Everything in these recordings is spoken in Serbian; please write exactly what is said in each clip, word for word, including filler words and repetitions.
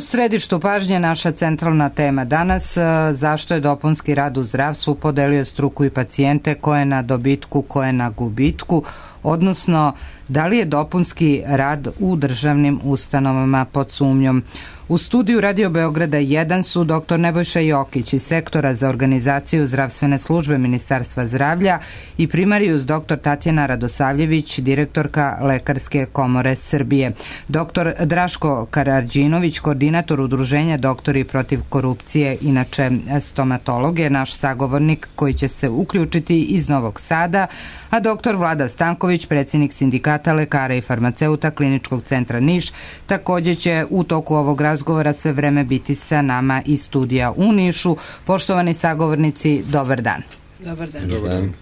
U središtu pažnje naša centralna tema danas, zašto je dopunski rad u zdravstvu podelio struku i pacijente, ko je na dobitku, ko je na gubitku, odnosno da li je dopunski rad u državnim ustanovama pod sumnjom. U studiju Radio Beograda jedan su doktor Nebojša Jokić iz Sektora za organizaciju zdravstvene službe Ministarstva zdravlja i primarijus doktor Tatjana Radosavljević, direktorka Lekarske komore Srbije. Doktor Draško Karađinović, koordinator udruženja Doktori protiv korupcije, inače stomatolog, je naš sagovornik koji će se uključiti iz Novog Sada, a doktor Vlada Stanković, predsjednik Sindikata lekara i farmaceuta Kliničkog centra Niš, također će u toku ovog razgovora sve vreme biti sa nama iz studija u Nišu. Poštovani sagovornici, dobar dan. Dobar dan. Dobar dan.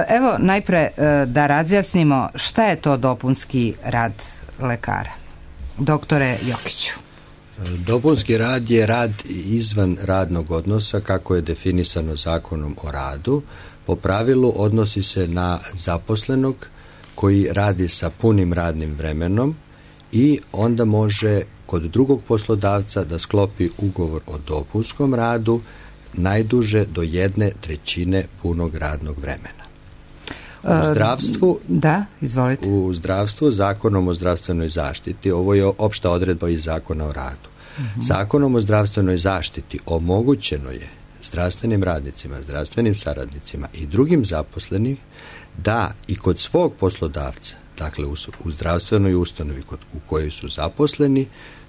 Evo, najpre da razjasnimo šta je to dopunski rad lekara. Doktore Jokiću. Dopunski rad je rad izvan radnog odnosa kako je definisano Zakonom o radu. Po pravilu odnosi se na zaposlenog koji radi sa punim radnim vremenom i onda može kod drugog poslodavca da sklopi ugovor o dopunskom radu najduže do jedne trećine punog radnog vremena. U zdravstvu, da, izvolite. U zdravstvu Zakonom o zdravstvenoj zaštiti, ovo je opšta odredba iz Zakona o radu. Uh-huh. Zakonom o zdravstvenoj zaštiti omogućeno je zdravstvenim radnicima, zdravstvenim saradnicima i drugim zaposlenim da i kod svog poslodavca, dakle u, u zdravstvenoj ustanovi kod, u kojoj su zaposleni,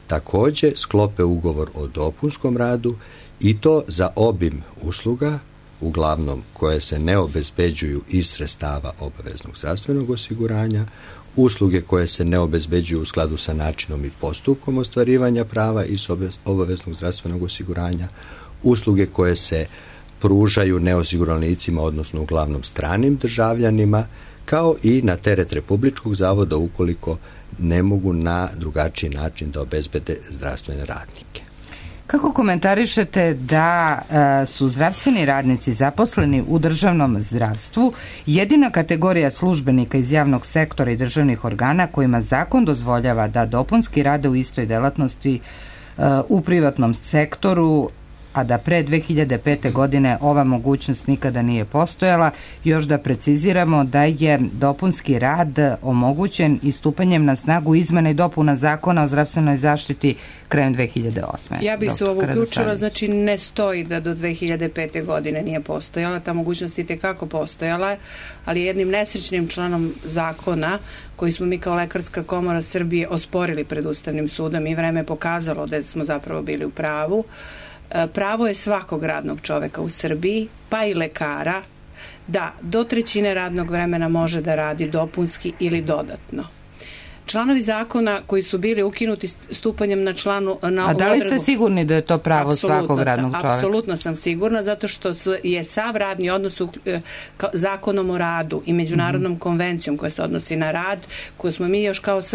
također sklope ugovor o dopunskom radu i to za obim usluga, uglavnom koje se ne obezbeđuju iz sredstava obaveznog zdravstvenog osiguranja, usluge koje se ne obezbeđuju u skladu sa načinom i postupkom ostvarivanja prava iz obaveznog zdravstvenog osiguranja, usluge koje se pružaju neosiguranicima, odnosno uglavnom stranim državljanima, kao i na teret Republičkog zavoda ukoliko ne mogu na drugačiji način da obezbede zdravstvene radnike. Kako komentarišete da e, su zdravstveni radnici zaposleni u državnom zdravstvu jedina kategorija službenika iz javnog sektora i državnih organa kojima zakon dozvoljava da dopunski rade u istoj delatnosti e, u privatnom sektoru, a da pre dve hiljade pete. godine ova mogućnost nikada nije postojala? Još da preciziramo da je dopunski rad omogućen i stupanjem na snagu izmena i dopuna Zakona o zdravstvenoj zaštiti krajem dve hiljade osme. Ja bih se ovo uključila, znači ne stoji da do dve hiljade pete. godine nije postojala, ta mogućnost je tekako postojala, ali jednim nesrećnim članom zakona koji smo mi kao Lekarska komora Srbije osporili pred Ustavnim sudom i vreme pokazalo da smo zapravo bili u pravu. Pravo je svakog radnog čoveka u Srbiji, pa i lekara, da do trećine radnog vremena može da radi dopunski ili dodatno. Članovi zakona koji su bili ukinuti stupanjem na članu na A da li ste sigurni da je to pravo apsolutno svakog radnog sam, čovjeka? Apsolutno sam sigurna, zato što je sav radni odnos u, Zakonom o radu i Međunarodnom mm-hmm. konvencijom koja se odnosi na rad, koju smo mi još kao S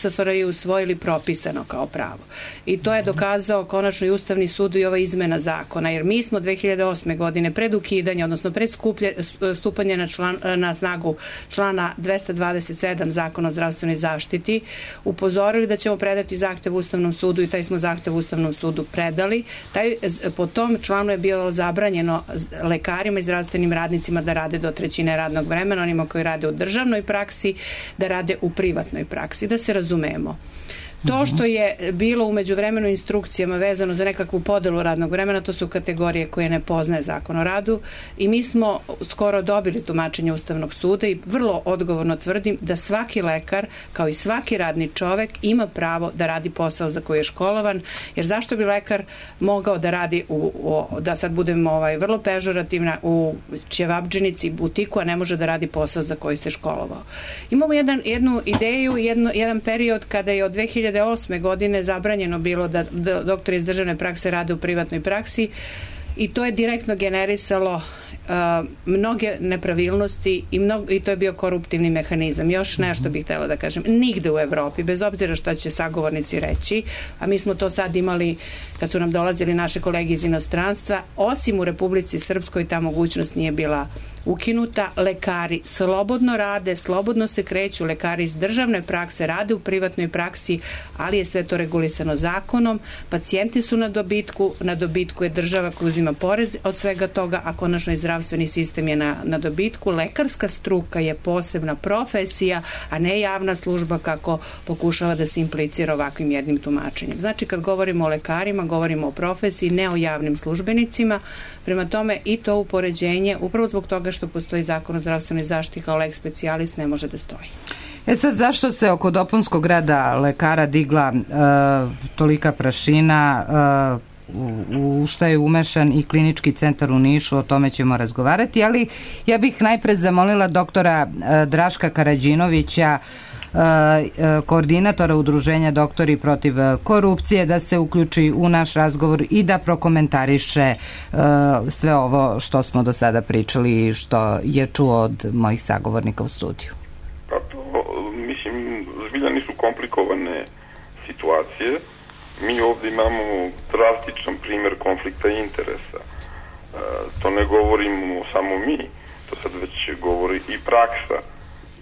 F R J usvojili, propisano kao pravo. I to je dokazao konačno i Ustavni sud i ova izmena zakona, jer mi smo dve hiljade osme. godine pred ukidanje, odnosno pred skuplje, stupanje na, član, na snagu člana dvesta dvadeset sedam Zakona o zdravstvenoj zaštiti upozorili da ćemo predati zahtev Ustavnom sudu i taj smo zahtev Ustavnom sudu predali. Taj, po tom članu je bilo zabranjeno lekarima i zdravstvenim radnicima da rade do trećine radnog vremena, onima koji rade u državnoj praksi da rade u privatnoj praksi. Da se razumemo. To što je bilo u međuvremenu instrukcijama vezano za nekakvu podelu radnog vremena, to su kategorije koje ne poznaje Zakon o radu i mi smo skoro dobili tumačenje Ustavnog suda i vrlo odgovorno tvrdim da svaki lekar, kao i svaki radni čovek, ima pravo da radi posao za koji je školovan, jer zašto bi lekar mogao da radi u, u, da sad budemo ovaj, vrlo pežorativna, u ćevabdžinici, butiku, a ne može da radi posao za koji se školovao. Imamo jedan, jednu ideju, jedno, jedan period kada je od dve hiljade osme. godine zabranjeno bilo da doktori iz državne prakse rade u privatnoj praksi i to je direktno generisalo uh, mnoge nepravilnosti i, mnogo, i to je bio koruptivni mehanizam. Još nešto bih htjela da kažem. Nigde u Evropi, bez obzira što će sagovornici reći, a mi smo to sad imali kad su nam dolazili naše kolege iz inostranstva, osim u Republici Srpskoj ta mogućnost nije bila ukinuta. Lekari slobodno rade, slobodno se kreću, lekari iz državne prakse rade u privatnoj praksi, ali je sve to regulisano zakonom. Pacijenti su na dobitku, na dobitku je država koja uzima porez od svega toga, a konačno i zdravstveni sistem je na, na dobitku. Lekarska struka je posebna profesija, a ne javna služba kako pokušava da se implicira ovakvim jednim tumačenjem. Znači, kad govorimo o lekarima, govorimo o profesiji, ne o javnim službenicima. Prema tome i to upoređenje, upravo zbog toga što postoji zakon o zdravstvenoj zaštiti kao lex specialis, ne može da stoji. E sad, zašto se oko dopunskog rada lekara digla e, tolika prašina, e, u, u što je umešan i klinički centar u Nišu, o tome ćemo razgovarati, ali ja bih najpre zamolila doktora e, Draška Karađinovića, koordinatora udruženja Doktori protiv korupcije, da se uključi u naš razgovor i da prokomentariše sve ovo što smo do sada pričali i što je čuo od mojih sagovornika u studiju. Pa to, mislim, zbilja nisu komplikovane situacije. Mi ovdje imamo drastičan primjer konflikta interesa. To ne govorimo samo mi, to sad već govori i praksa,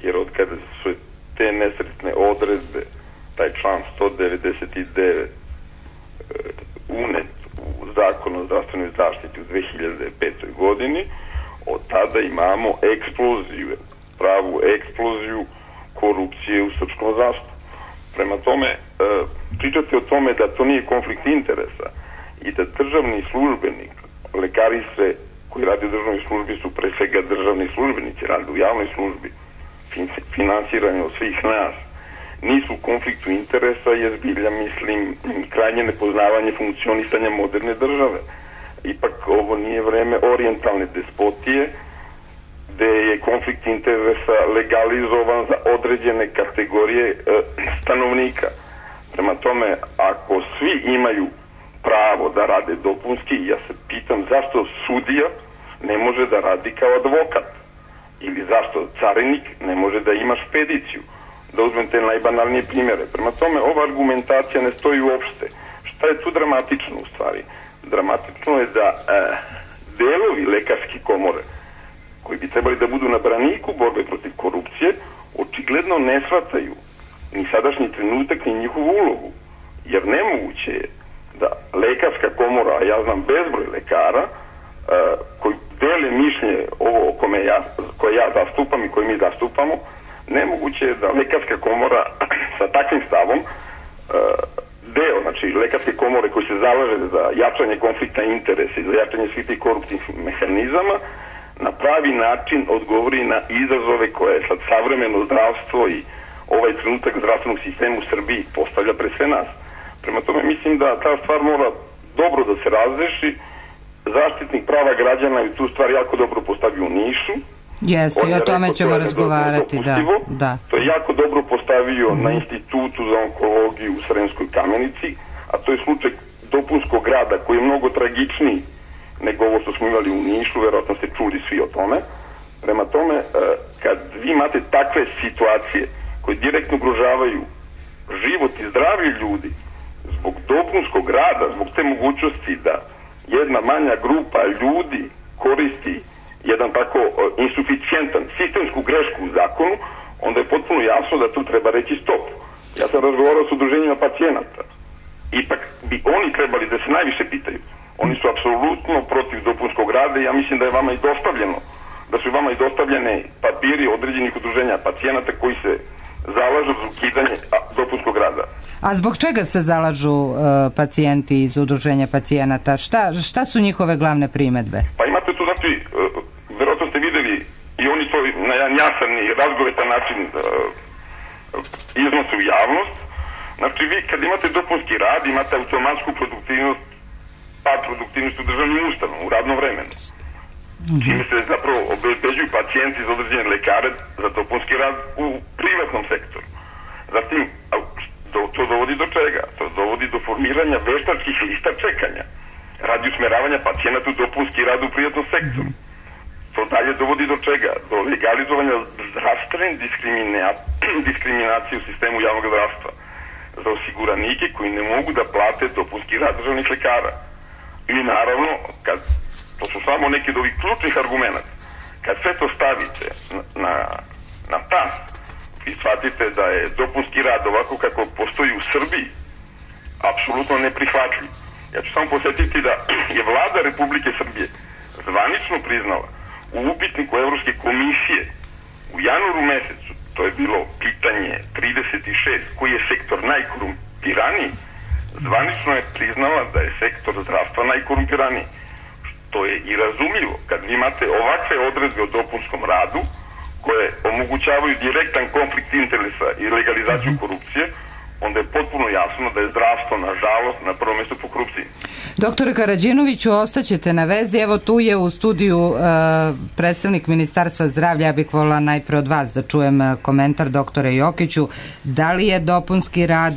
jer od kada su te nesretne odredbe, taj član sto devedeset devet unet u zakon o zdravstvenoj zaštiti u dve hiljade petoj godini, od tada imamo eksploziju, pravu eksploziju korupcije u srpskom zdravstvu. Prema tome, pričati o tome da to nije konflikt interesa i da državni službenik, lekari sve koji radi u državnoj službi su pre svega državni službenici, radi u javnoj službi, finansiranje od svih nas, nisu u konfliktu interesa, je zbilja, mislim, krajnje nepoznavanje funkcionisanja moderne države. Ipak ovo nije vreme orijentalne despotije, gde je konflikt interesa legalizovan za određene kategorije e, stanovnika. Prema tome, ako svi imaju pravo da rade dopunski, ja se pitam zašto sudija ne može da radi kao advokat? Ili zašto carinik ne može da ima špediciju? Da uzmem te najbanalnije primjere. Prema tome, ova argumentacija ne stoji uopšte. Šta je tu dramatično u stvari? Dramatično je da e, delovi lekarske komore, koji bi trebali da budu na braniku borbe protiv korupcije, očigledno ne shvataju ni sadašnji trenutak, ni njihovu ulogu. Jer nemoguće je da lekarska komora, a ja znam bezbroj lekara, e, koji dele mišljenje ovo kome ja, koje ja zastupam i koje mi zastupamo, nemoguće je da lekarska komora sa takvim stavom e, deo, znači lekarske komore koji se zalaže za jačanje konflikta interesa i za jačanje svih tih koruptivnih mehanizama, na pravi način odgovori na izazove koje sad savremeno zdravstvo i ovaj trenutak zdravstvenog sistema u Srbiji postavlja pre sve nas. Prema tome mislim da ta stvar mora dobro da se razreši. Zaštitnik prava građana je tu stvar jako dobro postavio u Nišu. Jeste, i o tome ćemo razgovarati, da, da. To je jako dobro postavio mm-hmm. na Institutu za onkologiju u Sremskoj Kamenici, a to je slučaj dopunskog rada koji je mnogo tragičniji nego ovo što smo imali u Nišu, verovatno ste čuli svi o tome. Prema tome, kad vi imate takve situacije koje direktno ugrožavaju život i zdravlje ljudi zbog dopunskog rada, zbog te mogućnosti da jedna manja grupa ljudi koristi jedan tako insuficijentan sistemsku grešku u zakonu, onda je potpuno jasno da tu treba reći stop. Ja sam razgovarao s udruženjima pacijenata. Ipak bi oni trebali da se najviše pitaju. Oni su apsolutno protiv dopunskog rada i ja mislim da je vama i dostavljeno, da su vama i dostavljene papiri određenih udruženja pacijenata koji se zalažu za ukidanje dopunskog rada. A zbog čega se zalažu uh, pacijenti iz udruženja pacijenata? Šta, šta su njihove glavne primedbe? Pa imate tu, znači, uh, verovatno ste videli i oni to na jedan jasan i razgovetan način uh, iznose u javnost. Znači, vi kad imate dopunski rad, imate automatsku produktivnost, pa produktivnost u državnim ustanovama, u radnom vremenu. Mm-hmm. Čime se zapravo obezbeđuju pacijenti za određene lekare za dopunski rad u privatnom sektoru. Zatim, do, to dovodi do čega? To dovodi do formiranja veštačkih lista čekanja radi usmeravanja pacijenata u dopunski rad u privatnom sektoru. to dalje dovodi do čega? Do legalizovanja zdravstvene diskrimina, diskriminacije u sistemu javnog zdravstva za osiguranike koji ne mogu da plate dopunski rad državnih lekara. I naravno, kad, to su samo neki od ovih ključnih argumenta, kad sve to stavite na, na, na tas i shvatite da je dopunski rad ovako kako postoji u Srbiji apsolutno neprihvatljiv. Ja ću samo posjetiti da je vlada Republike Srbije zvanično priznala u upisniku Evropske komisije u januaru mesecu, to je bilo pitanje trideset šest, koji je sektor najkorumpiraniji, zvanično je priznala da je sektor zdravstva najkorumpiraniji. Što je i razumljivo kad vi imate ovakve odredbe o dopunskom radu koje omogućavaju direktan konflikt interesa i legalizaciju korupcije, onda je potpuno jasno da je zdravstvo, nažalost, na prvom mjestu po korupciji. Doktore Karađinoviću, ostaćete na vezi. Evo tu je u studiju uh, predstavnik Ministarstva zdravlja. Ja bih volila najpre od vas da čujem komentar doktore Jokiću. Da li je dopunski rad,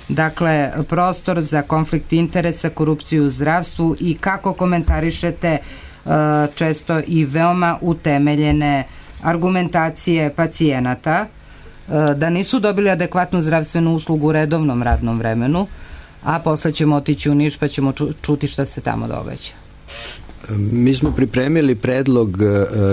dakle, prostor za konflikt interesa, korupciju u zdravstvu i kako komentarišete uh, često i veoma utemeljene argumentacije pacijenata da nisu dobili adekvatnu zdravstvenu uslugu u redovnom radnom vremenu, a posle ćemo otići u Niš pa ćemo čuti šta se tamo događa. Mi smo pripremili predlog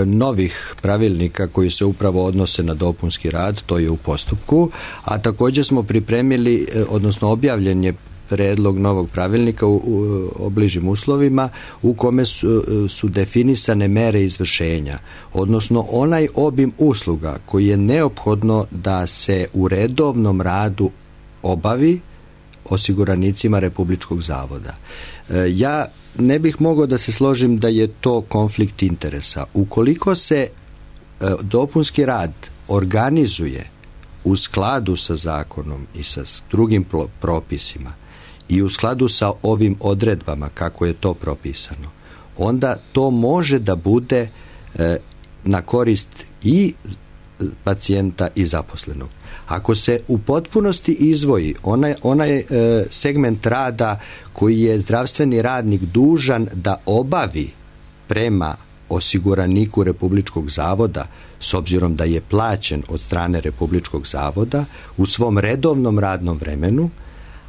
novih pravilnika koji se upravo odnose na dopunski rad, to je u postupku, a također smo pripremili, odnosno objavljen je predlog novog pravilnika u, u, o bližim uslovima u kome su, su definisane mere izvršenja, odnosno onaj obim usluga koji je neophodno da se u redovnom radu obavi osiguranicima Republičkog zavoda. E, ja ne bih mogao da se složim da je to konflikt interesa. Ukoliko se e, dopunski rad organizuje u skladu sa zakonom i sa drugim propisima i u skladu sa ovim odredbama kako je to propisano, onda to može da bude e, na korist i pacijenta i zaposlenog. Ako se u potpunosti izvoji onaj, onaj e, segment rada koji je zdravstveni radnik dužan da obavi prema osiguraniku Republičkog zavoda, s obzirom da je plaćen od strane Republičkog zavoda u svom redovnom radnom vremenu,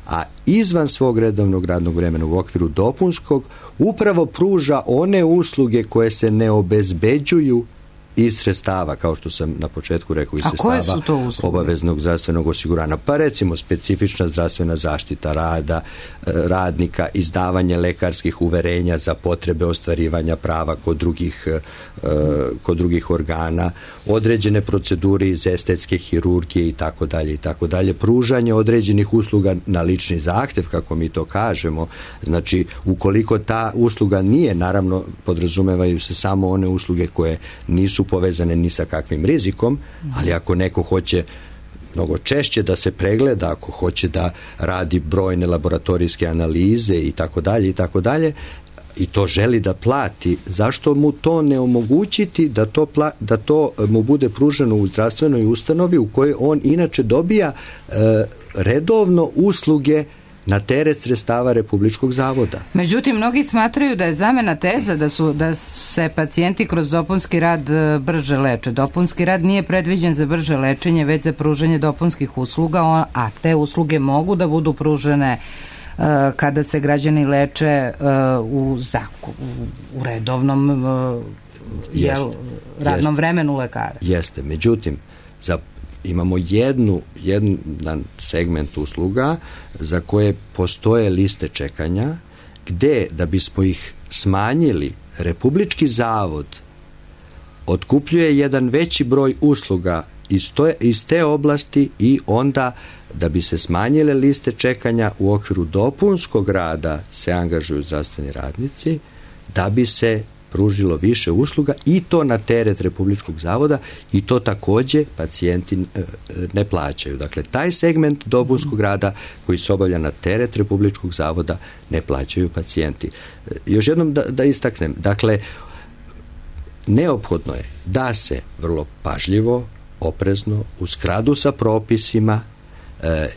a izvan svog redovnog radnog vremena u okviru dopunskog upravo pruža one usluge koje se ne obezbeđuju iz sredstava, kao što sam na početku rekao, iz sredstava obaveznog zdravstvenog osiguranja. Pa recimo specifična zdravstvena zaštita rada, radnika, izdavanje lekarskih uverenja za potrebe ostvarivanja prava kod drugih, kod drugih organa, određene procedure iz estetske hirurgije i tako dalje i tako dalje, pružanje određenih usluga na lični zahtev, kako mi to kažemo. Znači, ukoliko ta usluga nije, naravno, podrazumevaju se samo one usluge koje nisu povezane ni sa kakvim rizikom, ali ako neko hoće mnogo češće da se pregleda, ako hoće da radi brojne laboratorijske analize i tako dalje i tako dalje, i to želi da plati, zašto mu to ne omogućiti da to, pla, da to mu bude pruženo u zdravstvenoj ustanovi u kojoj on inače dobija e, redovno usluge na teret sredstava Republičkog zavoda. Međutim, mnogi smatraju da je zamena teza da su da se pacijenti kroz dopunski rad brže leče. Dopunski rad nije predviđen za brže lečenje, već za pružanje dopunskih usluga, a te usluge mogu da budu pružene uh, kada se građani leče uh, u, zaku, u redovnom uh, jel, radnom jeste, vremenu lekara. Jeste, međutim, za imamo jednu, jedan segment usluga za koje postoje liste čekanja, gde, da bismo ih smanjili, Republički zavod otkupljuje jedan veći broj usluga iz, to, iz te oblasti i onda, da bi se smanjile liste čekanja, u okviru dopunskog rada se angažuju zdravstveni radnici da bi se pružilo više usluga i to na teret Republičkog zavoda i to također pacijenti ne plaćaju. Dakle, taj segment dopunskog rada koji se obavlja na teret Republičkog zavoda ne plaćaju pacijenti. Još jednom da, da istaknem, dakle, neophodno je da se vrlo pažljivo, oprezno, u skladu sa propisima, e,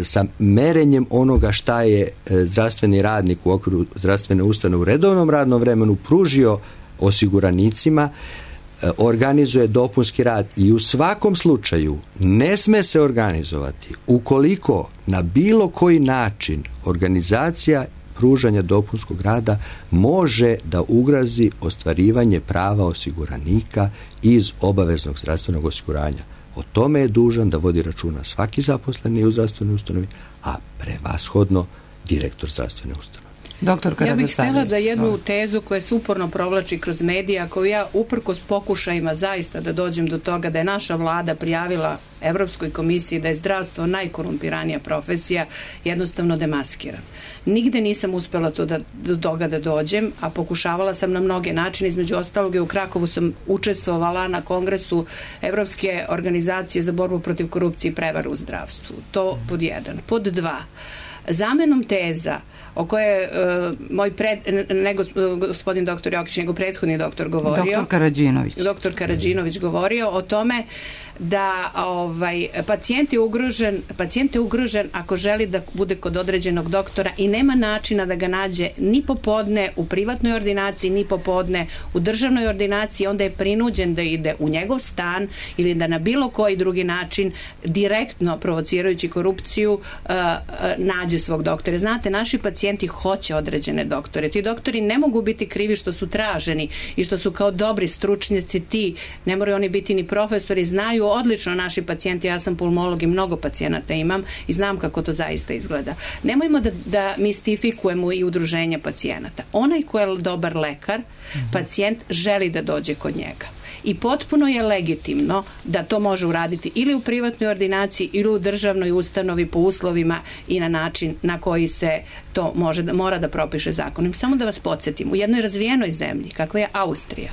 sa merenjem onoga šta je zdravstveni radnik u okviru zdravstvene ustanove u redovnom radnom vremenu pružio osiguranicima organizuje dopunski rad i u svakom slučaju ne sme se organizovati ukoliko na bilo koji način organizacija pružanja dopunskog rada može da ugrozi ostvarivanje prava osiguranika iz obaveznog zdravstvenog osiguranja. O tome je dužan da vodi računa svaki zaposleni u zdravstvenoj ustanovi, a prevashodno direktor zdravstvene ustanove. Doktor ja bih htjela da jednu tezu koja se uporno provlači kroz medija, koju ja uprkos pokušajima zaista da dođem do toga da je naša vlada prijavila Evropskoj komisiji da je zdravstvo najkorumpiranija profesija, jednostavno demaskiram. Nigde nisam uspela to da, do toga da dođem, a pokušavala sam na mnoge načine. Između ostalog u Krakovu sam učestvovala na kongresu Evropske organizacije za borbu protiv korupcije i prevare u zdravstvu. To pod jedan. Pod dva, zamenom teza o kojoj je uh, moj pred, ne gospodin doktor Jokić, nego prethodni doktor govorio. Doktor Karađinović. Doktor Karađinović govorio o tome da ovaj, pacijent je ugrožen, pacijent je ugrožen ako želi da bude kod određenog doktora i nema načina da ga nađe ni popodne u privatnoj ordinaciji, ni popodne u državnoj ordinaciji, onda je prinuđen da ide u njegov stan ili da na bilo koji drugi način, direktno provocirajući korupciju, uh, uh, nađe svog doktora. Znate, naši pacijenti hoće određene doktore. Ti doktori ne mogu biti krivi što su traženi i što su kao dobri stručnjaci ti, ne moraju oni biti ni profesori, znaju odlično naši pacijenti, ja sam pulmolog i mnogo pacijenata imam i znam kako to zaista izgleda. Nemojmo da, da mistifikujemo i udruženja pacijenata. Onaj ko je dobar lekar, mm-hmm. pacijent želi da dođe kod njega. I potpuno je legitimno da to može uraditi ili u privatnoj ordinaciji ili u državnoj ustanovi po uslovima i na način na koji se to može, mora da propiše zakonom. Samo da vas podsjetim, u jednoj razvijenoj zemlji, kakva je Austrija,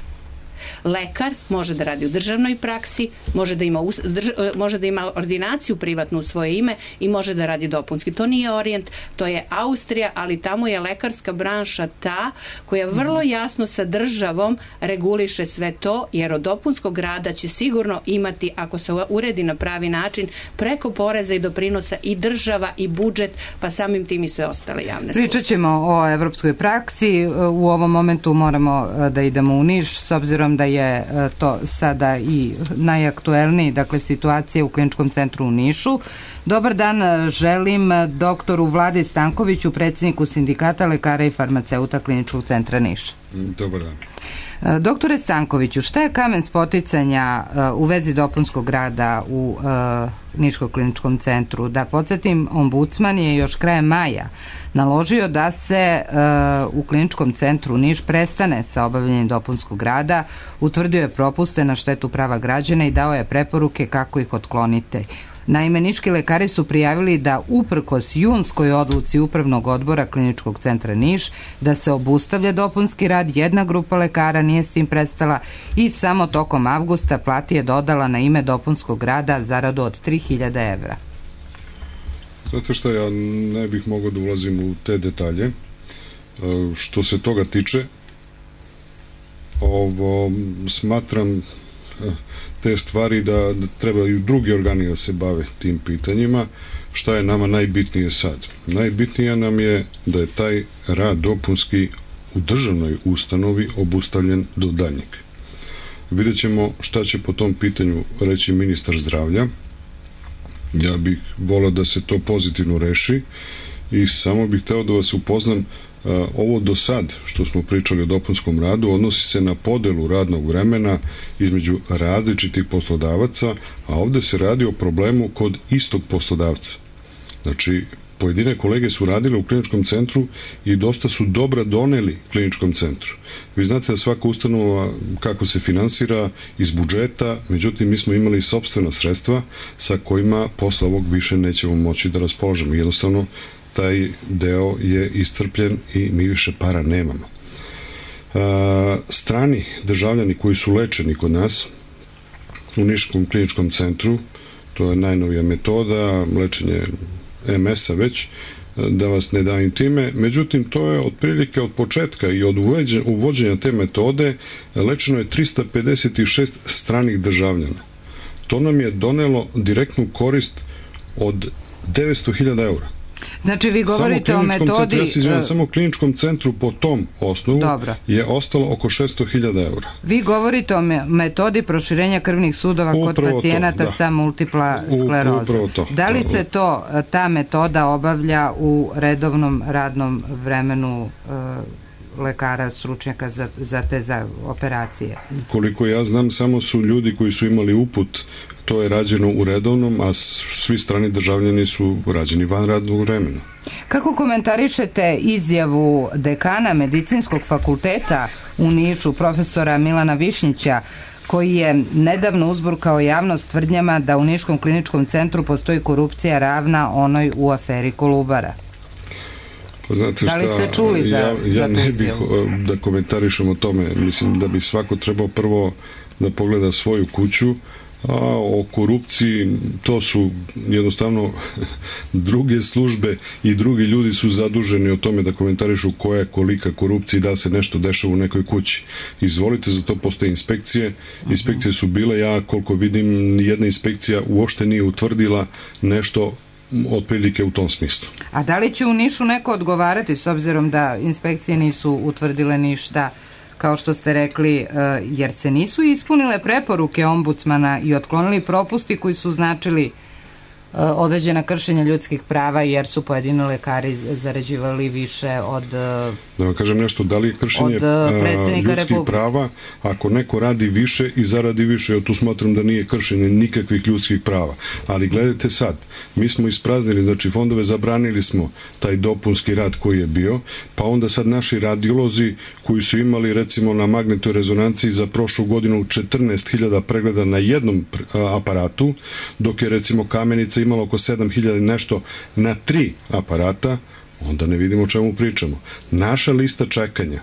lekar može da radi u državnoj praksi, može da ima, drž, može da ima ordinaciju privatnu u svoje ime i može da radi dopunski. To nije Orijent, to je Austrija, ali tamo je lekarska branša ta koja vrlo jasno sa državom reguliše sve to, jer od dopunskog rada će sigurno imati, ako se uredi na pravi način, preko poreza i doprinosa i država i budžet, pa samim tim i sve ostale javne službe. Pričat ćemo o evropskoj praksi. U ovom momentu moramo da idemo u Niš, s obzirom da je to sada i najaktuelniji, dakle, situacija u Kliničkom centru u Nišu. Dobar dan želim doktoru Vladi Stankoviću, predsjedniku Sindikata lekara i farmaceuta Kliničkog centra Niš. Dobar dan. Doktore Stankoviću, šta je kamen spoticanja u vezi dopunskog rada u Niškom kliničkom centru? Da podsjetim, ombudsman je još krajem maja naložio da se u Kliničkom centru Niš prestane sa obavljanjem dopunskog rada, utvrdio je propuste na štetu prava građana i dao je preporuke kako ih otklonite. Naime, niški lekari su prijavili da uprkos junskoj odluci Upravnog odbora Kliničkog centra Niš da se obustavlja dopunski rad, jedna grupa lekara nije s tim prestala i samo tokom avgusta plati je dodala na ime dopunskog rada zaradu od tri hiljade evra. Zato što ja ne bih mogao da ulazim u te detalje. Što se toga tiče, ovo smatram te stvari da, da trebaju drugi organi da se bave tim pitanjima. Šta je nama najbitnije sad? Najbitnije nam je da je taj rad dopunski u državnoj ustanovi obustavljen do daljnjeg. Vidjet ćemo šta će po tom pitanju reći ministar zdravlja. Ja bih volao da se to pozitivno reši i samo bih hteo da vas upoznam. Ovo do sad što smo pričali o dopunskom radu odnosi se na podelu radnog vremena između različitih poslodavaca, a ovde se radi o problemu kod istog poslodavca. Znači, pojedine kolege su radile u kliničkom centru i dosta su dobra doneli kliničkom centru. Vi znate da svaka ustanova kako se finansira iz budžeta, međutim mi smo imali sopstvena sredstva sa kojima posle ovog više nećemo moći da raspoložimo. Jednostavno, taj deo je iscrpljen i mi više para nemamo. A, strani državljani koji su lečeni kod nas u Niškom kliničkom centru, to je najnovija metoda, lečenje em es a već, da vas ne davim time, međutim to je otprilike od početka i od uvođenja te metode lečeno je trista pedeset šest stranih državljana. To nam je donelo direktnu korist od devetsto hiljada eura. Znači vi govorite samo o metodi... Ja se izvijem, samo kliničkom centru po tom osnovu Dobro. je ostalo oko šesto hiljada eura. Vi govorite o metodi proširenja krvnih sudova upravo kod pacijenata to, sa multipla sklerozom. Da li se to, ta metoda obavlja u redovnom radnom vremenu uh, lekara, stručnjaka za, za te za operacije? Koliko ja znam, samo su ljudi koji su imali uput, to je rađeno u redovnom, a svi strani državljani su rađeni van radnog vremena. Kako komentarišete izjavu dekana Medicinskog fakulteta u Nišu, profesora Milana Višnjića, koji je nedavno uzburkao javnost tvrdnjama da u Niškom kliničkom centru postoji korupcija ravna onoj u aferi Kolubara? Znate da li ste čuli za, ja, ja za ne bih da komentarišem o tome. Mislim da bi svako trebao prvo da pogleda svoju kuću, a o korupciji to su jednostavno druge službe i drugi ljudi su zaduženi o tome da komentarišu koja je kolika korupcija i da se nešto dešava u nekoj kući. Izvolite, za to postoje inspekcije. Inspekcije su bile, ja koliko vidim, jedna inspekcija uopšte nije utvrdila nešto otprilike u tom smislu. A da li će u Nišu neko odgovarati s obzirom da inspekcije nisu utvrdile ništa, kao što ste rekli, jer se nisu ispunile preporuke ombudsmana i otklonili propusti koji su značili određena kršenja ljudskih prava, jer su pojedini lekari zarađivali više od... Da vam kažem nešto, da li je kršenje ljudskih Republike. prava ako neko radi više i zaradi više? Ja tu smatram da nije kršenje nikakvih ljudskih prava. Ali gledajte sad, mi smo ispraznili, znači fondove, zabranili smo taj dopunski rad koji je bio, pa onda sad naši radiolozi koji su imali recimo na magnetnoj rezonanciji za prošlu godinu četrnaest hiljada pregleda na jednom aparatu, dok je recimo Kamenica imalo oko sedam hiljada nešto na tri aparata, onda ne vidimo o čemu pričamo. Naša lista čekanja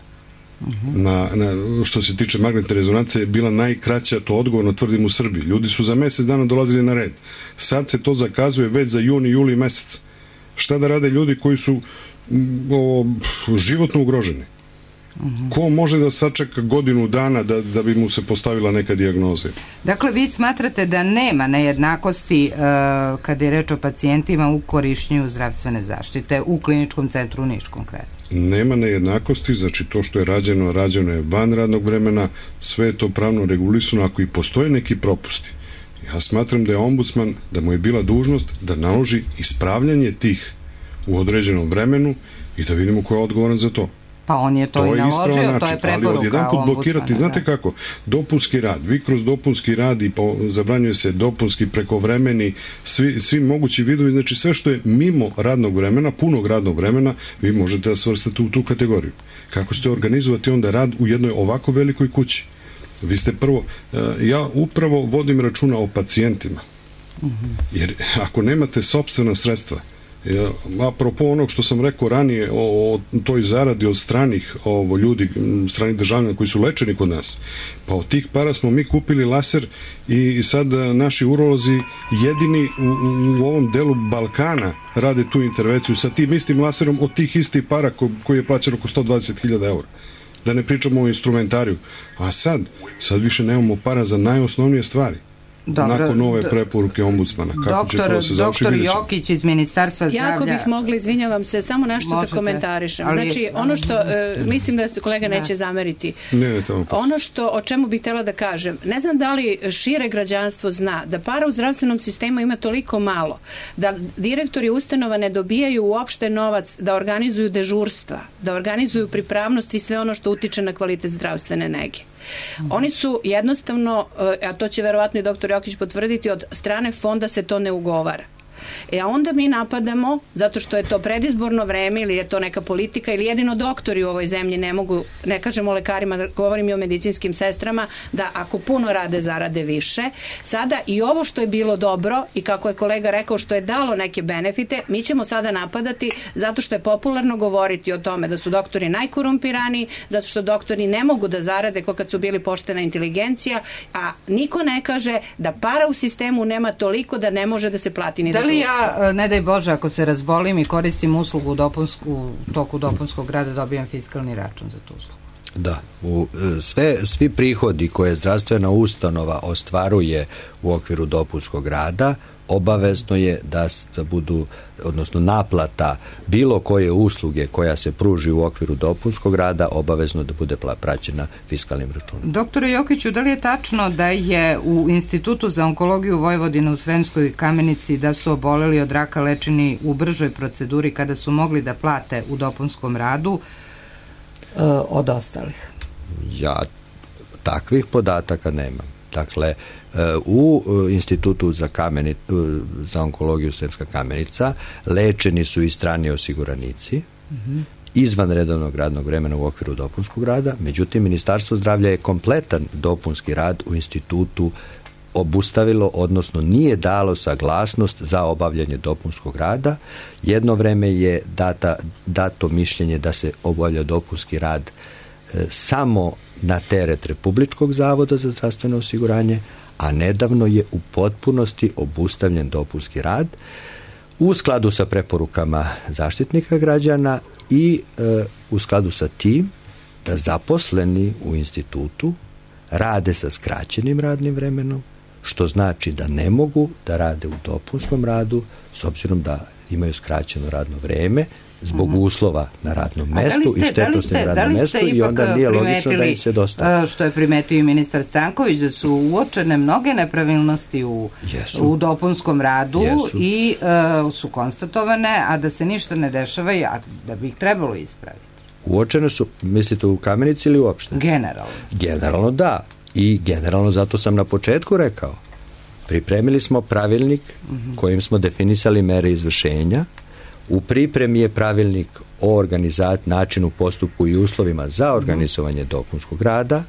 uh-huh. na, na, što se tiče magnetne rezonance je bila najkraća, to odgovorno tvrdim, u Srbiji. Ljudi su za mesec dana dolazili na red. Sad se to zakazuje već za juni, juli mesec. Šta da rade ljudi koji su o, životno ugroženi? Uh-huh. Ko može da sačeka godinu dana da, da bi mu se postavila neka dijagnoza? Dakle, vi smatrate da nema nejednakosti uh, kada je reč o pacijentima u korišćenju zdravstvene zaštite u kliničkom centru u Niš konkretno? Nema nejednakosti, znači to što je rađeno, rađeno je van radnog vremena, sve je to pravno regulisano. Ako i postoje neki propusti, ja smatram da je ombudsman, da mu je bila dužnost da naloži ispravljanje tih u određenom vremenu i da vidimo ko je odgovoran za to. Pa on je to, to i naložio, način, to je preporuka. Ali odjedan put blokirati, znate da. kako, dopunski rad, vi kroz dopunski rad i po, zabranjuje se dopunski, prekovremeni, svi, svi mogući vidovi, znači sve što je mimo radnog vremena, punog radnog vremena, vi možete da svrstati u tu kategoriju. Kako ćete organizovati onda rad u jednoj ovako velikoj kući? Vi ste prvo, ja upravo vodim računa o pacijentima, jer ako nemate sopstvena sredstva, Ja, apropo onog što sam rekao ranije o, o toj zaradi od stranih ovo, ljudi, stranih državljana koji su lečeni kod nas, pa od tih para smo mi kupili laser i, i sad naši urolozi jedini u, u, u ovom delu Balkana rade tu intervenciju sa tim istim laserom od tih istih para ko, koji je plaćeno oko sto dvadeset hiljada eura. Da ne pričamo o instrumentariju. A sad, sad više nemamo para za najosnovnije stvari. Dobro, nakon nove preporuke ombudsmana. Kako doktor, će to se završi, doktor Jokić iz Ministarstva zdravlja. Jako bih mogla, izvinjavam se, samo nešto možete, da komentarišem. Ali, znači, ono što, uh, mislim da kolega ne. neće zameriti. Ne, ne, ono što, o čemu bih htjela da kažem, ne znam da li šire građanstvo zna da para u zdravstvenom sistemu ima toliko malo, da direktori ustanova ne dobijaju uopšte novac da organizuju dežurstva, da organizuju pripravnost i sve ono što utiče na kvalitet zdravstvene nege. Oni su jednostavno, a to će verovatno i doktor Jokić potvrditi, od strane fonda se to ne ugovara. E a onda mi napadamo, zato što je to predizborno vreme ili je to neka politika ili jedino doktori u ovoj zemlji ne mogu, ne kažemo lekarima, govorim i o medicinskim sestrama, da ako puno rade zarade više. Sada i ovo što je bilo dobro i kako je kolega rekao što je dalo neke benefite, mi ćemo sada napadati zato što je popularno govoriti o tome da su doktori najkorumpiraniji, zato što doktori ne mogu da zarade kao kad su bili poštena inteligencija, a niko ne kaže da para u sistemu nema toliko da ne može da se plati ni da li ja, ne daj Bože, ako se razbolim i koristim uslugu dopunsku, u toku dopunskog rada, dobijam fiskalni račun za tu uslugu? Da, u, sve, svi prihodi koje zdravstvena ustanova ostvaruje u okviru dopunskog rada obavezno je da, da budu, odnosno naplata bilo koje usluge koja se pruži u okviru dopunskog rada obavezno da bude praćena fiskalnim računom. Doktore Jokiću, da li je tačno da je u Institutu za onkologiju Vojvodine u Sremskoj Kamenici da su oboleli od raka lečeni u bržoj proceduri kada su mogli da plate u dopunskom radu e, od ostalih? Ja takvih podataka nemam. Dakle, u Institutu za, kameni, za onkologiju Sremska Kamenica lečeni su i strani osiguranici mm-hmm. izvan redovnog radnog vremena u okviru dopunskog rada, međutim Ministarstvo zdravlja je kompletan dopunski rad u institutu obustavilo, odnosno nije dalo saglasnost za obavljanje dopunskog rada. Jedno vreme je data, dato mišljenje da se obavlja dopunski rad e, samo na teret Republičkog zavoda za zdravstveno osiguranje, a nedavno je u potpunosti obustavljen dopunski rad u skladu sa preporukama Zaštitnika građana i e, u skladu sa tim da zaposleni u institutu rade sa skraćenim radnim vremenom, što znači da ne mogu da rade u dopunskom radu s obzirom da imaju skraćeno radno vreme zbog mm-hmm. uslova na radnom mestu i štetnosti na radnom mestu i onda nije logično da im se dostavi. Što je primetio i ministar Stanković, da su uočene mnoge nepravilnosti u, u dopunskom radu Jesu. i uh, su konstatovane, a da se ništa ne dešava, a da bi ih trebalo ispraviti. Uočene su, mislite u Kamenici ili uopšte? Generalno. Generalno da. I generalno zato sam na početku rekao. Pripremili smo pravilnik mm-hmm. kojim smo definisali mere izvršenja. U pripremi je pravilnik o organizaciji, načinu, postupku i uslovima za organizovanje dopunskog rada.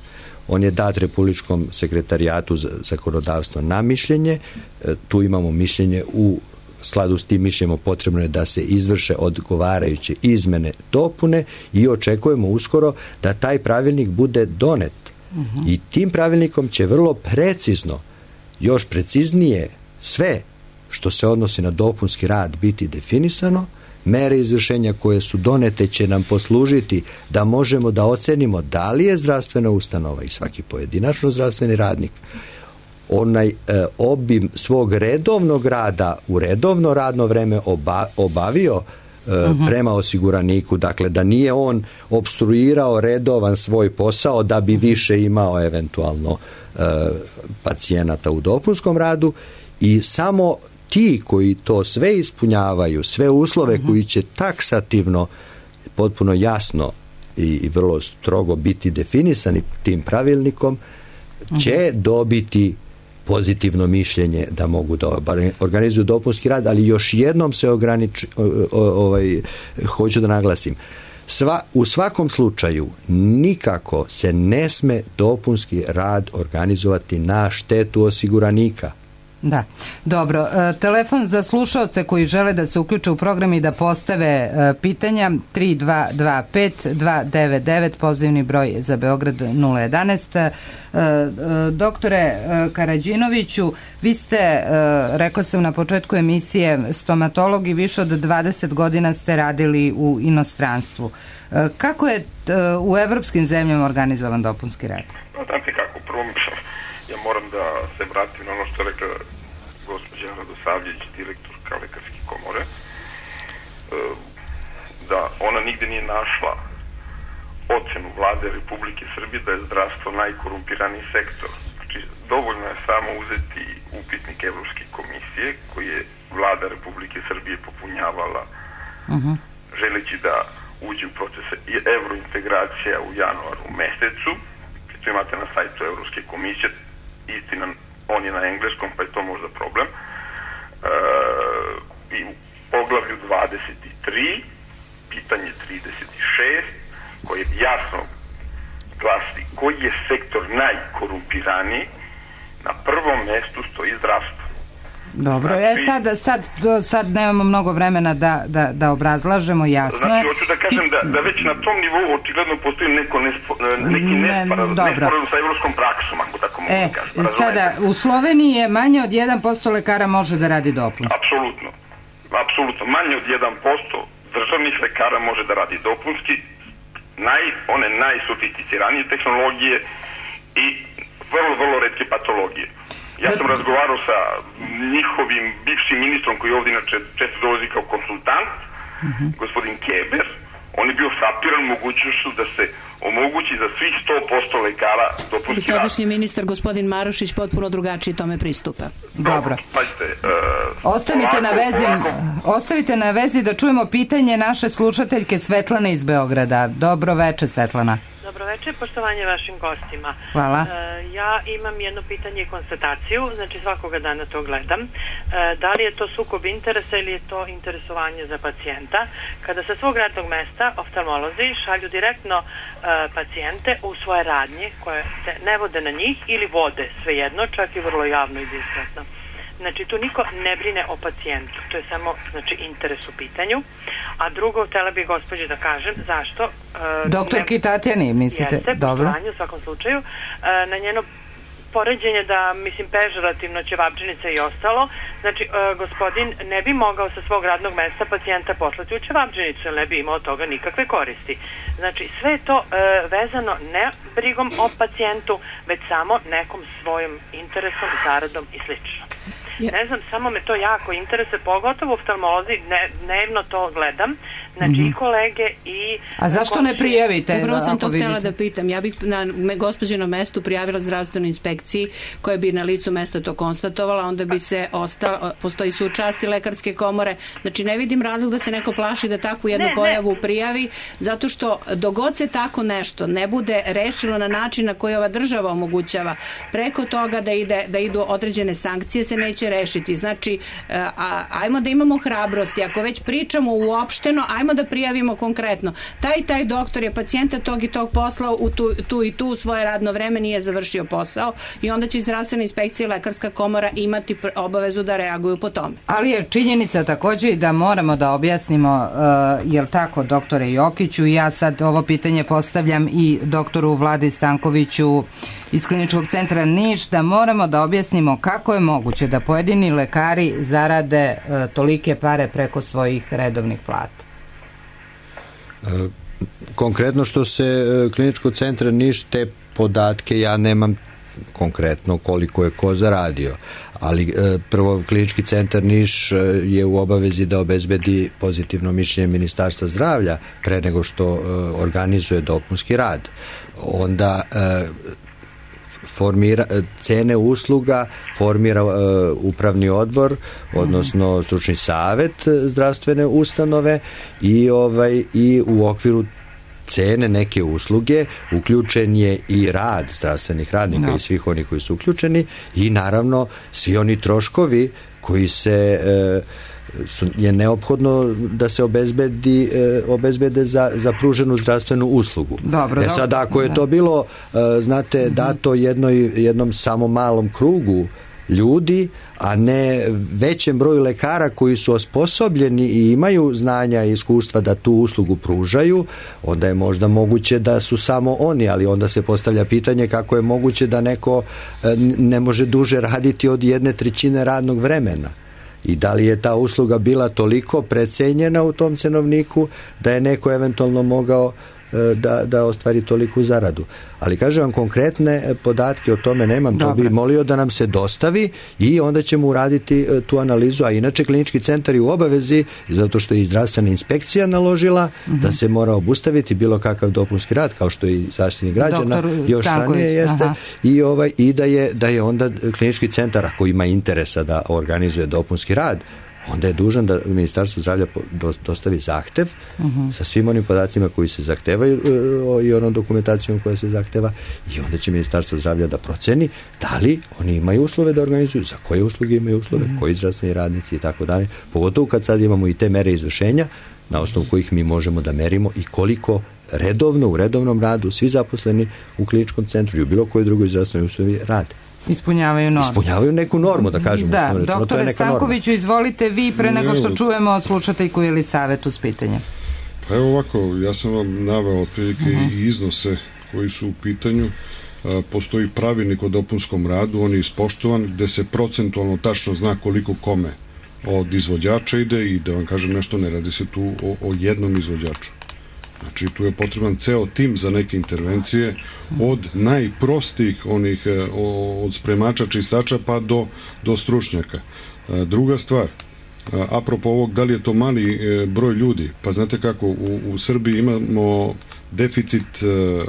On je dat Republičkom sekretarijatu za zakonodavstvo na mišljenje. E, tu imamo mišljenje, u skladu s tim mišljenjem potrebno je da se izvrše odgovarajuće izmene, dopune i očekujemo uskoro da taj pravilnik bude donet. Uh-huh. I tim pravilnikom će vrlo precizno, još preciznije sve što se odnosi na dopunski rad biti definisano. Mere izvršenja koje su donete će nam poslužiti da možemo da ocenimo da li je zdravstvena ustanova i svaki pojedinačno zdravstveni radnik onaj e, obim svog redovnog rada u redovno radno vreme oba, obavio e, uh-huh. prema osiguraniku, dakle da nije on opstruirao redovan svoj posao da bi više imao eventualno e, pacijenata u dopunskom radu, i samo ti koji to sve ispunjavaju, sve uslove uh-huh. koji će taksativno, potpuno jasno i, i vrlo strogo biti definisani tim pravilnikom, uh-huh. će dobiti pozitivno mišljenje da mogu da organizuju dopunski rad, ali još jednom se ograniči, ovaj, hoću da naglasim, sva, u svakom slučaju nikako se ne sme dopunski rad organizovati na štetu osiguranika. Da, dobro. E, telefon za slušaoce koji žele da se uključe u program i da postave e, pitanja tri dva dva pet dva devet devet, pozivni broj za Beograd nula jedanaest. E, e, doktore e, Karađinoviću, vi ste, e, rekla sam na početku emisije, stomatolog i više od dvadeset godina ste radili u inostranstvu. E, kako je t, u evropskim zemljama organizovan dopunski rad? Pa, znate kako, prvo ja moram da se vratim na ono što je rekla gospođa Radosavljević, direktorka Lekarske komore, da ona nigde nije našla ocenu vlade Republike Srbije da je zdravstvo najkorumpiraniji sektor. Znači, dovoljno je samo uzeti upitnik Evropske komisije koji je vlada Republike Srbije popunjavala uh-huh. želeći da uđe u proces evrointegracija u januaru mesecu. To imate na sajtu Evropske komisije, istina, on je na engleskom, pa je to možda problem. E, i u poglavlju dvadeset tri, pitanje trideset šest, koje jasno glasi koji je sektor najkorumpiraniji, na prvom mestu stoji zdravstvo. Dobro, znači, e sad, sad, sad nemamo mnogo vremena da, da, da obrazlažemo, jasno. Znači, hoću da kažem da, da već na tom nivou očigledno postoji neko nespo, neki ne, nesporazum sa evropskom praksom, ako tako mogu e, da kažem. Sada, u Sloveniji je manje od jedan posto lekara može da radi dopunski. Apsolutno. Apsolutno. Manje od jedan posto državnih lekara može da radi dopunski, naj, one najsofisticiranije tehnologije i vrlo, vrlo retke patologije. Ja sam razgovarao sa njihovim bivšim ministrom koji ovdje inače često dolazi kao konsultant, uh-huh. gospodin Keber. On je bio frapiran mogućnošću da se omogući za svih sto posto lekara dopunski rad. Sadašnji ministar gospodin Marušić potpuno drugačije tome pristupa. Dobro. Pazite, uh, Ostanite ovako, na vezi, ovako. ostavite na vezi da čujemo pitanje naše slušateljke Svetlane iz Beograda. Dobro veče, Svetlana. Dobro večer, poštovanje vašim gostima. Hvala. E, ja imam jedno pitanje i konstataciju, znači svakoga dana to gledam. E, da li je to sukob interesa ili je to interesovanje za pacijenta? Kada sa svog radnog mesta oftalmolozi šalju direktno e, pacijente u svoje radnje koje se ne vode na njih ili vode, svejedno, čak i vrlo javno i diskretno. Znači, tu niko ne brine o pacijentu. To je samo, znači, interes u pitanju. A drugo, htjela bih gospođi da kažem zašto... Uh, Doktorki Tatjani, mislite? Jeste, dobro. U svakom slučaju. Uh, na njeno poređenje da, mislim, pežorativno ćevabdžinice i ostalo, znači, uh, gospodin ne bi mogao sa svog radnog mesta pacijenta poslati u ćevabdžinicu, jer ne bi imao od toga nikakve koristi. Znači, sve je to uh, vezano ne brigom o pacijentu, već samo nekom svojim interesom, zaradom i slično. Ne znam, samo me to jako interese, pogotovo u oftalmolozi, ne, dnevno to gledam, znači mm-hmm. i kolege i... A zašto ne prijavite? Upravo sam to htjela da pitam. Ja bih na gospođenom mestu prijavila zdravstvenoj inspekciji koja bi na licu mesta to konstatovala, onda bi se ostalo, postoji sučasti lekarske komore. Znači ne vidim razlog da se neko plaši da takvu jednu ne, pojavu ne. prijavi, zato što dogod se tako nešto ne bude rešilo na način na koji ova država omogućava, preko toga da, ide, da idu određene sankcije se neće rešiti. Znači, a, ajmo da imamo hrabrosti. Ako već pričamo uopšteno, ajmo da prijavimo konkretno. Taj i taj doktor je pacijenta tog i tog poslao u tu, tu i tu svoje radno vreme, nije završio posao i onda će zdravstvena inspekcija i lekarska komora imati obavezu da reaguju po tome. Ali je činjenica također i da moramo da objasnimo, uh, jel tako, doktore Jokiću, ja sad ovo pitanje postavljam i doktoru Vladi Stankoviću iz Kliničkog centra Niš, da moramo da objasnimo kako je moguće da pojedini lekari zarade uh, tolike pare preko svojih redovnih plata. E, konkretno što se e, Kliničkog centra Niš, te podatke ja nemam konkretno koliko je ko zaradio, ali e, prvo Klinički centar Niš e, je u obavezi da obezbedi pozitivno mišljenje Ministarstva zdravlja pre nego što e, organizuje dopunski rad. Onda e, formira cene usluga formira uh, upravni odbor, odnosno stručni savet zdravstvene ustanove i ovaj i u okviru cene neke usluge uključen je i rad zdravstvenih radnika no. i svih onih koji su uključeni i naravno svi oni troškovi koji se uh, Su, je neophodno da se obezbedi, e, obezbede za, za pruženu zdravstvenu uslugu. Dobro, e sad, ako je to bilo, e, znate, mm-hmm. dato jednoj, jednom samo malom krugu ljudi, a ne većem broju lekara koji su osposobljeni i imaju znanja i iskustva da tu uslugu pružaju, onda je možda moguće da su samo oni, ali onda se postavlja pitanje kako je moguće da neko e, ne može duže raditi od jedne trećine radnog vremena. I da li je ta usluga bila toliko precenjena u tom cenovniku da je neko eventualno mogao da, da ostvari toliku zaradu. Ali kažem vam, konkretne podatke o tome nemam. Dobre. To bi molio da nam se dostavi i onda ćemo uraditi tu analizu. A inače Klinički centar je u obavezi, zato što je i zdravstvena inspekcija naložila mm-hmm. da se mora obustaviti bilo kakav dopunski rad, kao što i Zaštitnik građana Doktor još ranije jeste. I, ovaj, i da, je, da je onda Klinički centar, ako ima interesa da organizuje dopunski rad, onda je dužan da Ministarstvo zdravlja dostavi zahtev uh-huh. sa svim onim podacima koji se zahtevaju uh, i onom dokumentacijom koja se zahteva i onda će Ministarstvo zdravlja da proceni da li oni imaju uslove da organizuju, za koje usluge imaju uslove, uh-huh. koji zdravstveni radnici i tako dalje. Pogotovo kad sad imamo i te mere izvršenja na osnovu kojih mi možemo da merimo i koliko redovno, u redovnom radu svi zaposleni u kliničkom centru i u bilo kojoj drugoj zdravstvenoj ustanovi rade. Ispunjavaju normu. Ispunjavaju neku normu, da kažemo. Da, doktore Stankoviću, izvolite vi pre nego što čujemo slušateljku ili savetu s pitanjem. Pa evo ovako, ja sam vam naveo otprilike uh-huh. i iznose koji su u pitanju. Postoji pravilnik o dopunskom radu, on je ispoštovan, gde se procentualno tačno zna koliko kome od izvođača ide i da vam kažem nešto, ne radi se tu o, o jednom izvođaču. Znači tu je potreban ceo tim za neke intervencije, od najprostijih onih, od spremača, čistača pa do, do stručnjaka. Druga stvar, apropo ovog, da li je to mali broj ljudi, pa znate kako, u, u Srbiji imamo deficit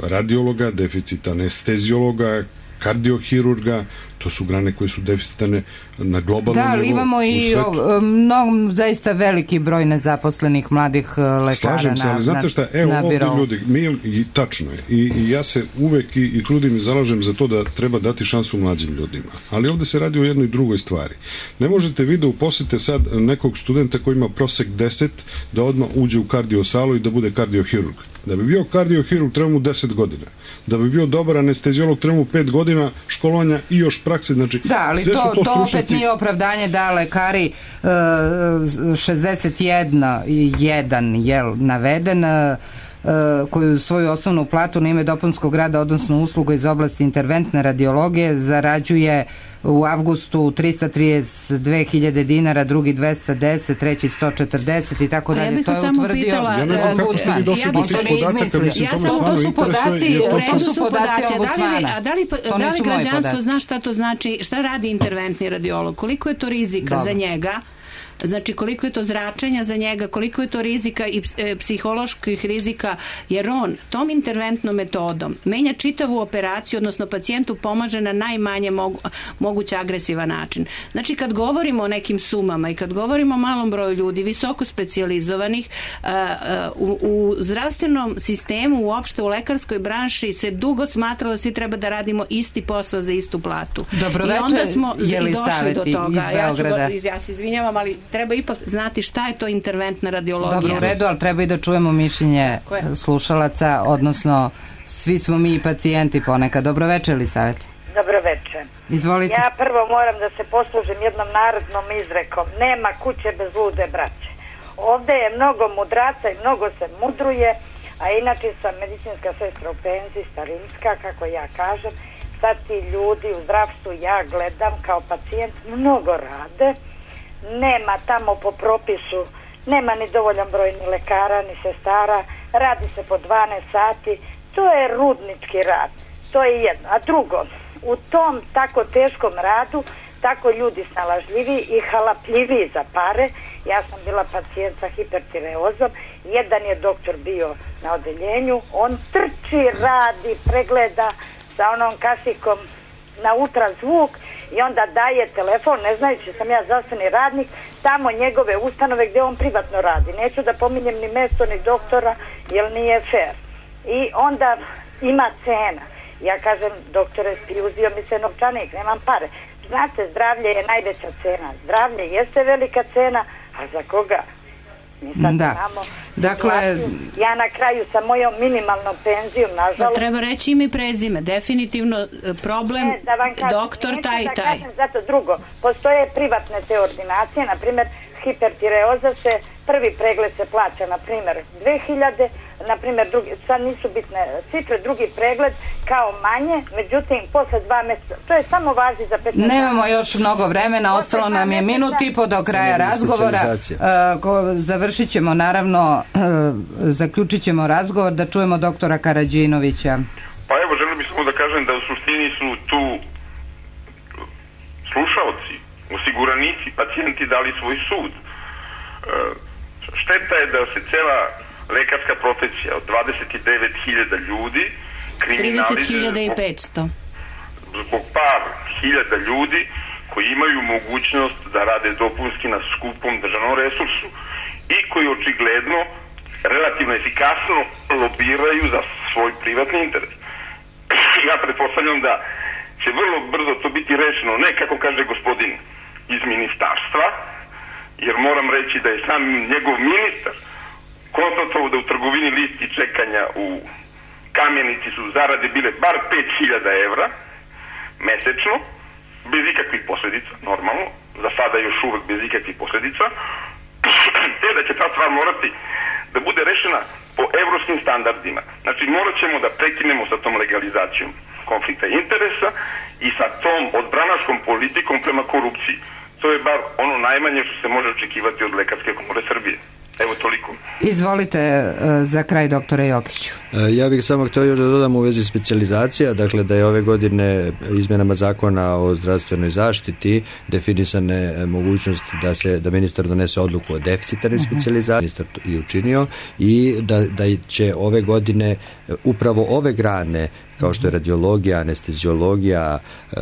radiologa, deficit anesteziologa, kardiohirurga, to su grane koje su deficitane na globalnom nivou. Da, ali imamo i mnogo, zaista veliki broj nezaposlenih mladih lekara. Slažem se, ali znate šta, evo ovdje ljudi, mi, i tačno je, i, i ja se uvek i, i trudim i zalažem za to da treba dati šansu mlađim ljudima, ali ovdje se radi o jednoj drugoj stvari. Ne možete vi da uposlite sad nekog studenta koji ima prosek deset, da odmah uđe u kardiosalu i da bude kardiohirurg. Da bi bio kardiohirurg treba mu deset godina. Da bi bio dobar anesteziolog treba mu pet godina školovanja i još prakse. Znači, da, ali sve to, su to, to stručnici... opet nije opravdanje da lekari uh, šezdeset jedan jel, naveden uh, koju svoju osnovnu platu na ime dopunskog rada, odnosno usluga iz oblasti interventne radiologije zarađuje u avgustu trista trideset dve hiljade dinara, drugi dvesta deset, treći sto četrdeset i tako dalje. To je utvrdio ombudsman. Ja samo to su podaci, to su podaci ombudsmana. A da li, da li građanstvo zna šta to znači, šta radi interventni radiolog? Koliko je to rizika za njega? Znači koliko je to zračenja za njega, koliko je to rizika i e, psiholoških rizika, jer on tom interventnom metodom menja čitavu operaciju, odnosno pacijentu pomaže na najmanje mogu, moguće agresivan način. Znači kad govorimo o nekim sumama i kad govorimo o malom broju ljudi visoko specijalizovanih, a, a, u, u zdravstvenom sistemu, uopšte u lekarskoj branši se dugo smatralo da svi treba da radimo isti posao za istu platu. Dobro I večer, onda smo došli do toga. Ja, ću, ja se izvinjavam, ali treba ipak znati šta je to interventna radiologija. Dobro, u redu, ali treba i da čujemo mišljenje slušalaca, odnosno svi smo mi pacijenti ponekad. Dobro večer, Elisaveta. Dobro večer. Izvolite. Ja prvo moram da se poslužim jednom narodnom izrekom. Nema kuće bez lude braće. Ovde je mnogo mudraca i mnogo se mudruje, a inače sam medicinska sestra u penziji, starinska, kako ja kažem. Sad ti ljudi u zdravstvu, ja gledam kao pacijent, mnogo rade. Nema tamo po propisu, nema ni dovoljan broj ni lekara, ni sestara, radi se po dvanaest sati, to je rudnički rad, to je jedno. A drugo, u tom tako teškom radu, tako ljudi snalažljivi i halapljiviji za pare, ja sam bila pacijent sa hipertireozom, jedan je doktor bio na odeljenju, on trči, radi, pregleda sa onom kasikom na ultrazvuk i onda daje telefon, ne znajući sam ja zdravstveni radnik, tamo njegove ustanove gdje on privatno radi. Neću da pominjem ni mesto, ni doktora, jer nije fair. I onda ima cena. Ja kažem, doktore, uzio mi se novčanik, nemam pare. Znate, zdravlje je najveća cena. Zdravlje jeste velika cena, a za koga? Mi sad da. imamo dakle, ja na kraju sa mojom minimalnom penzijom, nažalost... Da treba reći ime i prezime. Definitivno problem ne, da kažem, doktor taj i da taj. Kažem, zato drugo, postoje privatne te ordinacije, na primjer, hipertireoza se, prvi pregled se plaća, na primjer, dve hiljade, na primjer, drugi, sad nisu bitne cifre, drugi pregled kao manje, međutim, posle dva mjeseca, to je samo važi za petnaest. Nemamo još mnogo vremena, ostalo nam je minut i po do kraja razgovora. Uh, završit ćemo, naravno, uh, zaključit ćemo razgovor, da čujemo doktora Karadžinovića. Pa evo, želim bih samo da kažem da u suštini su tu slušaoci, osiguranici, pacijenti dali svoj sud. Uh, šteta je da se cela lekarska profesija od dvadeset devet hiljada ljudi kriminalizuje trideset hiljada i petsto zbog par hiljada ljudi koji imaju mogućnost da rade dopunski na skupom državnom resursu i koji očigledno relativno efikasno lobiraju za svoj privatni interes. Ja pretpostavljam da će vrlo brzo to biti rečeno, ne kako kaže gospodin iz ministarstva, jer moram reći da je sam njegov ministar konstatovao da u trgovini listi čekanja u Kamenici su zarade bile bar pet hiljada evra mesečno, bez ikakvih posljedica, normalno, za sada još uvek bez ikakvih posljedica, te da će ta stvar morati da bude rešena po evropskim standardima. Znači, morat ćemo da prekinemo sa tom legalizacijom konflikta interesa i sa tom odbranaškom politikom prema korupciji. To je bar ono najmanje što se može očekivati od Lekarske komore Srbije. Evo toliko. Izvolite za kraj, doktore Jokiću. Ja bih samo htio još da dodam u vezi specijalizacija, dakle da je ove godine izmjenama zakona o zdravstvenoj zaštiti definisane mogućnosti da se da ministar donese odluku o deficitarnim uh-huh. specijalizacijama, ministar to i učinio, i da, da će ove godine upravo ove grane kao što je radiologija, anesteziologija, e,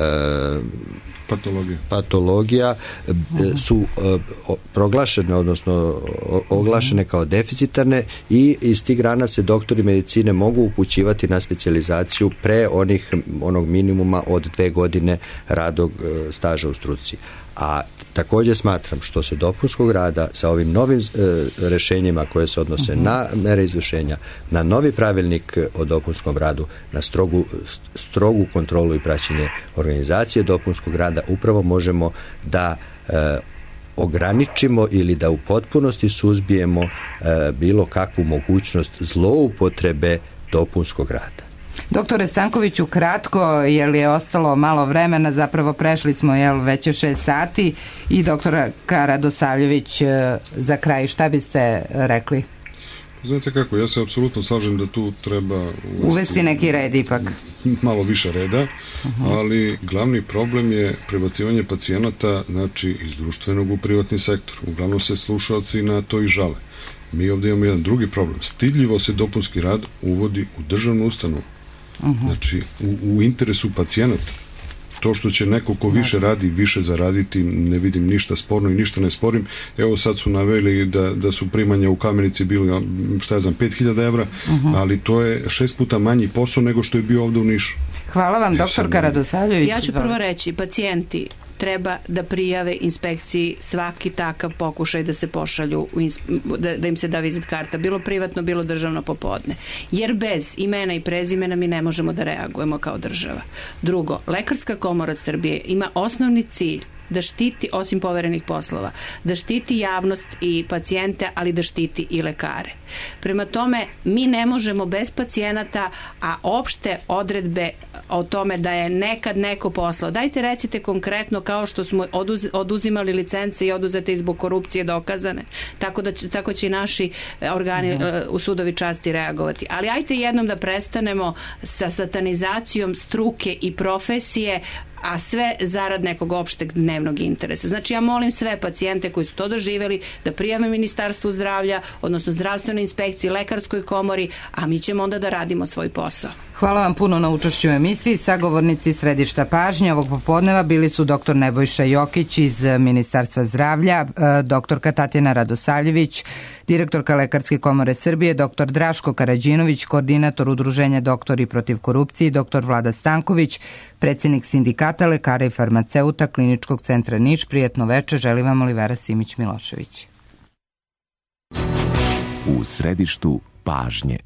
patologija, patologija uh-huh. su uh, proglašene, odnosno oglašene uh-huh. kao deficitarne, i iz tih grana se doktori medicine mogu upućivati na specijalizaciju pre onih, onog minimuma od dve godine radog uh, staža u struci. A također smatram što se dopunskog rada sa ovim novim e, rešenjima koje se odnose uh-huh. na mere izvršenja, na novi pravilnik o dopunskom radu, na strogu, strogu kontrolu i praćenje organizacije dopunskog rada, upravo možemo da e, ograničimo ili da u potpunosti suzbijemo e, bilo kakvu mogućnost zloupotrebe dopunskog rada. Doktore Stankoviću, kratko, jer je ostalo malo vremena, zapravo prešli smo jel, već je šest sati, i doktora Radosavljević za kraj, šta biste rekli? Znate kako, ja se apsolutno slažem da tu treba uvesti, uvesti neki red ipak. Malo više reda, uh-huh. ali glavni problem je prebacivanje pacijenata, znači iz društvenog u privatni sektor. Uglavnom se slušalci na to i žale. Mi ovdje imamo jedan drugi problem. Stidljivo se dopunski rad uvodi u državnu ustanovu. Uh-huh. Znači, u, u interesu pacijenata. To što će neko ko više radi, više zaraditi, ne vidim ništa sporno i ništa ne sporim. Evo sad su naveli da, da su primanja u Kamenici bili, šta ja znam, pet hiljada evra, uh-huh. ali to je šest puta manji posao nego što je bio ovdje u Nišu. Hvala vam, doktorka Radosavljević. Ja ću prvo reći, pacijenti treba da prijave inspekciji svaki takav pokušaj da se pošalju, u inspe, da, da im se da vizit karta, bilo privatno, bilo državno popodne. Jer bez imena i prezimena mi ne možemo da reagujemo kao država. Drugo, Lekarska komora Srbije ima osnovni cilj da štiti, osim poverenih poslova, da štiti javnost i pacijente, ali da štiti i lekare. Prema tome, mi ne možemo bez pacijenata, a opšte odredbe o tome da je nekad neko poslao. Dajte recite konkretno, kao što smo oduz, oduzimali licence i oduzete zbog korupcije dokazane, tako, da će, tako će i naši organi uh, u sudovi časti reagovati. Ali ajte jednom da prestanemo sa satanizacijom struke i profesije, a sve zarad nekog opšteg dnevnog interesa. Znači, ja molim sve pacijente koji su to doživjeli da prijave Ministarstvu zdravlja, odnosno zdravstvenoj inspekciji, Lekarskoj komori, a mi ćemo onda da radimo svoj posao. Hvala vam puno na učešću u emisiji. Sagovornici središta pažnje ovog popodneva bili su doktor Nebojša Jokić iz Ministarstva zdravlja, doktorka Tatjana Radosavljević, direktorka Lekarske komore Srbije, doktor Draško Karađinović, koordinator Udruženja Doktori protiv korupcije, doktor Vlada Stanković, predsjednik Sindikata lekara i farmaceuta Kliničkog centra Niš. Prijetno večer, želim vam Olivera Simić-Milošević. U središtu pažnje.